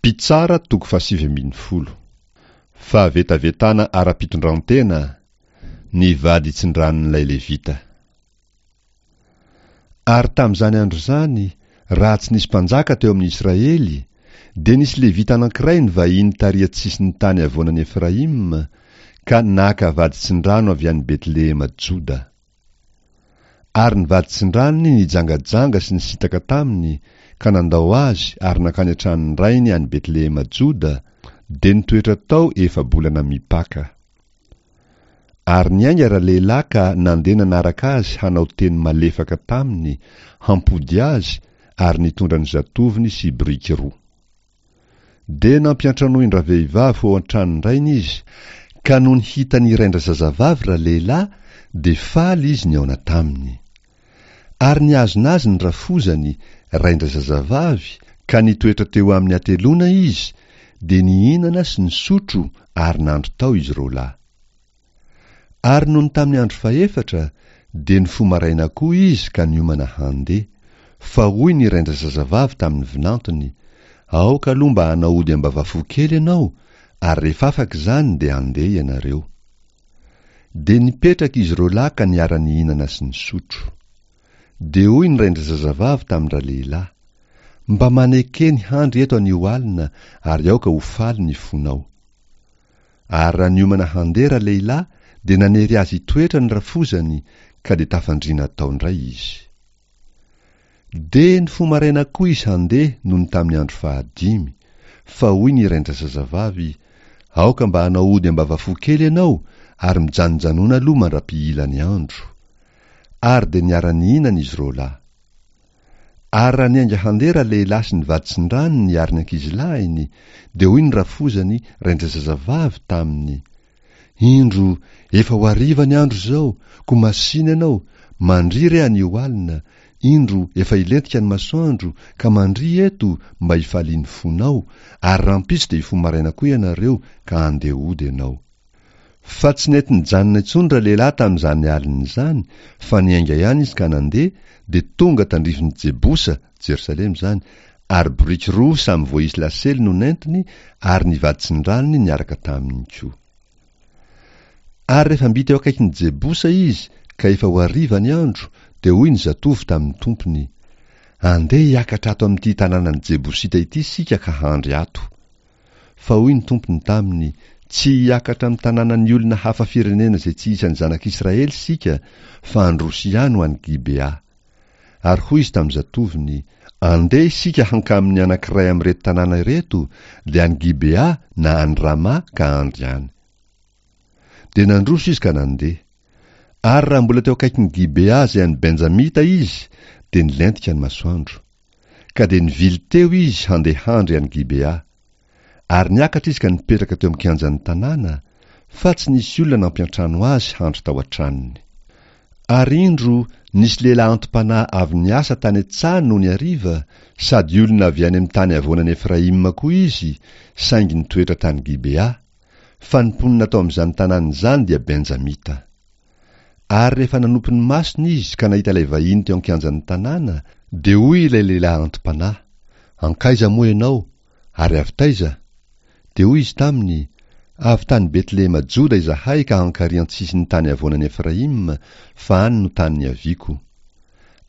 Mpitsara toko fahasivy ambin'ny folo. Fahavetavetana ara-pitondrantena, ny vady tsindranon'ilay Levita. Ary tamin'izany andro izany, raha tsy nisy mpanjaka teo amin'ny Israely, dia nisy Levita anankiray nivahiny tary an-tsisin'ny tany havoanan'i Efraima, ka naka vady tsindrano avy any Betlehema Joda. Ary ny vady tsindranony nijangajanga sy nisintaka taminy, ka nandao azy ary nankany an-tranon-drainy any Betlehema Joda, dia nitoetra tao efa-bolana mipaka. Ary niainga ralehilahy ka nandeha nanaraka azy hanao teny malefaka taminy hampody azy ary nitondra ny zatovony sy biriky roa. Dia nampiantranoin-dravehivavy ho ao an-tranon-drainy izy, ka nony hitan'ny rain-drazazavavy ralehilahy, dia faly izy nihaona taminy. Ary nihazona azy ny rafozany, rain-drazazavavy, ka nitoetra teo aminy hateloana izy, dia nihinana sy nisotro ary nandry tao izy roalahy. Ary nony tamin'ny andro fahefatra, dia nifoha maraina koa izy ka niomana handeha. Fa hoy ny rain-drazazavavy tamin'ny vinantony, Aoka aloha mba hanao ody ambavafo kely ianao, ary rehefa afaka izany dia handeha ianareo. Dia nipetraka izy roalahy ka niara-nihinana sy nisotro. Dia hoy ny rain-drazazavavy tamin-dralehilahy, Mba maneke ny handry eto anio alina, ary aoka ho faly ny fonao. Ary raha niomana handeha ralehilahy dia nanery azy hitoetra ny rafozany ka dia tafandriana tao indray izy. Dia nifoha maraina koa izy handeha nony tamin'ny andro fahadimy, fa hoy ny rain-drazazavavy, Aoka mba hanao ody ambavafo kely ianao ary mijanonjanona aloha mandra-pihila ny andro. Ary dia niara-nihinana izy roalahy. Ary raha niainga handeha ralehilahy sy ny vaditsindranony ary ny ankizilahiny, dia hoy ny rafozany, rain-drazazavavy, taminy, Indro, efa ho hariva ny andro izao, koa masìna ianao, mandria re anio alina, indro, efa hilentika ny masoandro, ka mandria eto, mba hifalian'ny fonao, ary rahampitso dia hifoha maraina koa ianareo, ka handeha hody ianao. Fa tsy nety nijanona intsony ralehilahy tamin'izany alina izany, fa niainga ihany izy ka nandeha, dia tonga tandrifin'i Jebosa, Jerosalema izany, ary boriky roa samy voaisy lasely no nentiny, ary ny vaditsindranony niaraka taminy koa. Ary rehefa mby teo akaikin'i Jebosa izy, ka efa ho hariva ny andro, dia hoy ny zatovo tamin'ny tompony, Andeha hiakatra ato amin'ity tanànan'i Jebosita ity isika ka handry ato. Fa hoy ny Tompony taminy, Tsy hiakatra amin'ny tanànan'ny olona hafa firenena izay tsy isan'ny zanak'Israely isika, fa handroso ihany ho any Gibea. Ary hoy izy tamin'ny zatovony, Andeha isika hankamin'ny anankiray amin'ireto tanàna ireto, dia any Gibea na any Rama ka handry any. Dia nandroso izy ka nandeha. Ary raha mbola teo akaikin'i Gibea izay an'i Benjamita izy, dia nilentika ny masoandro. Ka dia nivily teo izy handeha handry any Gibea. Ary niakatra izy ka nipetraka teo amin'ny kianjan'ny tanàna, fa tsy nisy olona nampiantrano azy handry tao an-tranony. Ary indro, nisy lehilahy anti-panahy avy niasa tany an-tsaha nony hariva, sady olona avy any amin'ny tany havoanan'i Efraima koa izy, saingy nitoetra tany Gibea, fa ny mponina tao amin'izany tanàna izany dia Benjamita. Ary rehefa nanopy ny masony izy ka nahita ilay vahiny teo an-kianjan'ny tanàna, dia hoy ilay lehilahy anti-panahy, Hankaiza moa ianao, ary avy taiza? Dia hoy izy taminy, Avy tany Betlehema Joda izahay ka hankary an-tsisin'ny tany havoanan'i Efraima, fa any no tany niaviako.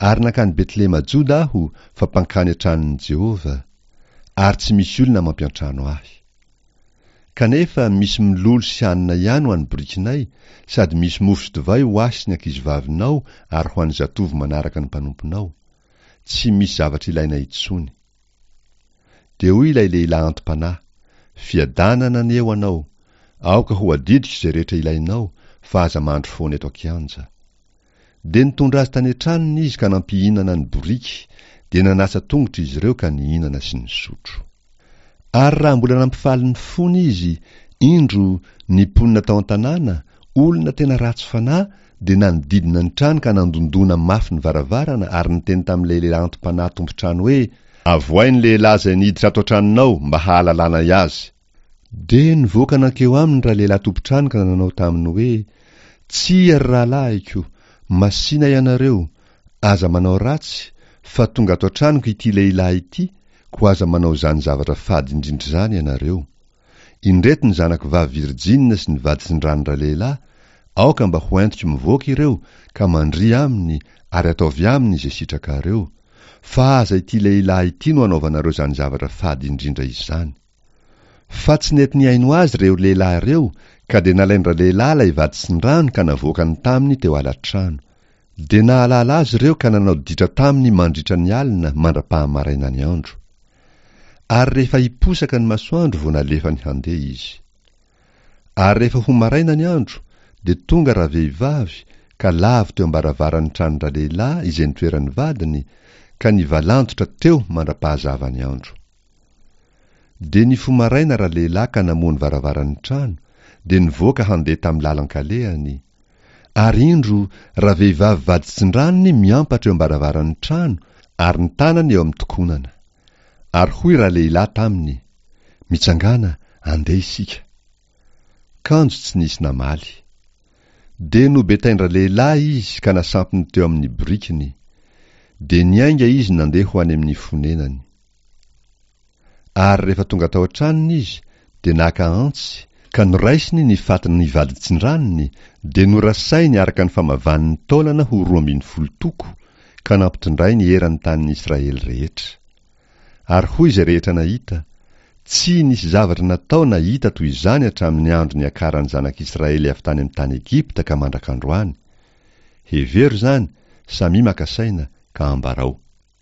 Ary nankany Betlehema Joda aho, fa mpankany an-tranon'i Jehovah, ary tsy misy olona mampiantrano ahy. Kanefa misy mololo sy hanina ihany ho an'ny borikinay, sady misy mofo sy divay ho ahy sy ny ankizivavinao ary ho an'ny zatovo manaraka ny mpanomponao. Tsy misy zavatra ilaina intsony. Dia hoy ilay lehilahy anti-panahy, Fiadanana anie ho anao! Aoka ho adidiko izay rehetra ilainao, fa aza mandry foana eto an-kianja. Dia nitondra azy tany an-tranony izy ka nampihinana ny boriky, dia nanasa tongotra izy ireo ka nihinana sy nisotro. Ary raha mbola nampifaly ny fony izy, indro, ny mponina tao an-tanàna, olona tena ratsy fanahy, dia nanodidina ny trano ka nandondona mafy ny varavarana ary niteny tamin'ilay lehilahy anti-panahy tompon-trano hoe, Avoahy ny lehilahy izay niditra ato an-tranonao mba hahalalanay azy. Dia nivoaka nankeo aminy ralehilahy tompon-trano ka nanao taminy hoe, Tsia, ry rahalahiko, masìna ianareo, aza manao ratsy, fa tonga ato an-tranoko ity lehilahy ity, Koa aza manao izany zavatra fady indrindra izany ianareo. Indreto ny zanako vavy virjina sy ny vaditsindranon-dralehilahy, aoka mba ho entiko mivoaka ireo, ka mandria aminy, ary ataovy aminy izay sitrakareo. Fa aza ity lehilahy ity no anaovanareo izany zavatra fady indrindra izany. Fa tsy nety nihaino azy ireo lehilahy ireo, ka dia nalain-dralehilahy ilay vaditsindrano ka navoakany taminy teo ala-trano. Dia nahalala azy ireo ka nanao ditra taminy mandritra ny alina mandra-pahamaraina ny andro. Ary rehefa hiposaka ny masoandro vao nalefany handeha izy. Ary rehefa ho maraina ny andro, dia tonga ravehivavy ka lavo teo am-baravaran'ny tranon-dralehilahy izay nitoeran'ny vadiny, ka nivalandotra teo mandra-pahazava ny andro. Dia nifoha maraina ralehilahy ka namoha ny varavaran'ny trano, dia nivoaka handeha tamin'ny lalan-kalehany. Ary indro, ravehivavy vaditsindranony miampatra eo am-baravaran'ny trano, ary ny tanany eo amin'ny tokonana. Ary hoy ralehilahy taminy, Mitsangàna, andeha isika. Kanjo tsy nisy namaly. Dia nobetain-dralehilahy izy ka nasampiny teo amin'ny borikiny. Dia niainga izy nandeha ho any amin'ny fonenany. Ary rehefa tonga tao an-tranony izy, dia naka antsy, ka noraisiny ny fatin'ny vaditsindranony, dia norasainy araka ny famavan'ny taolana ho 12 toko, ka nampitondrainy eran'ny tanin'i Israely rehetra. Ary hoy izay rehetra nahita, Tsy nisy zavatra natao na hita toy izany hatramin'ny andro niakaran'ny zanak'Israely avy tany amin'ny tany Egypta ka mandrak'androany. Hevero izany, samia maka saina, ka ambarao.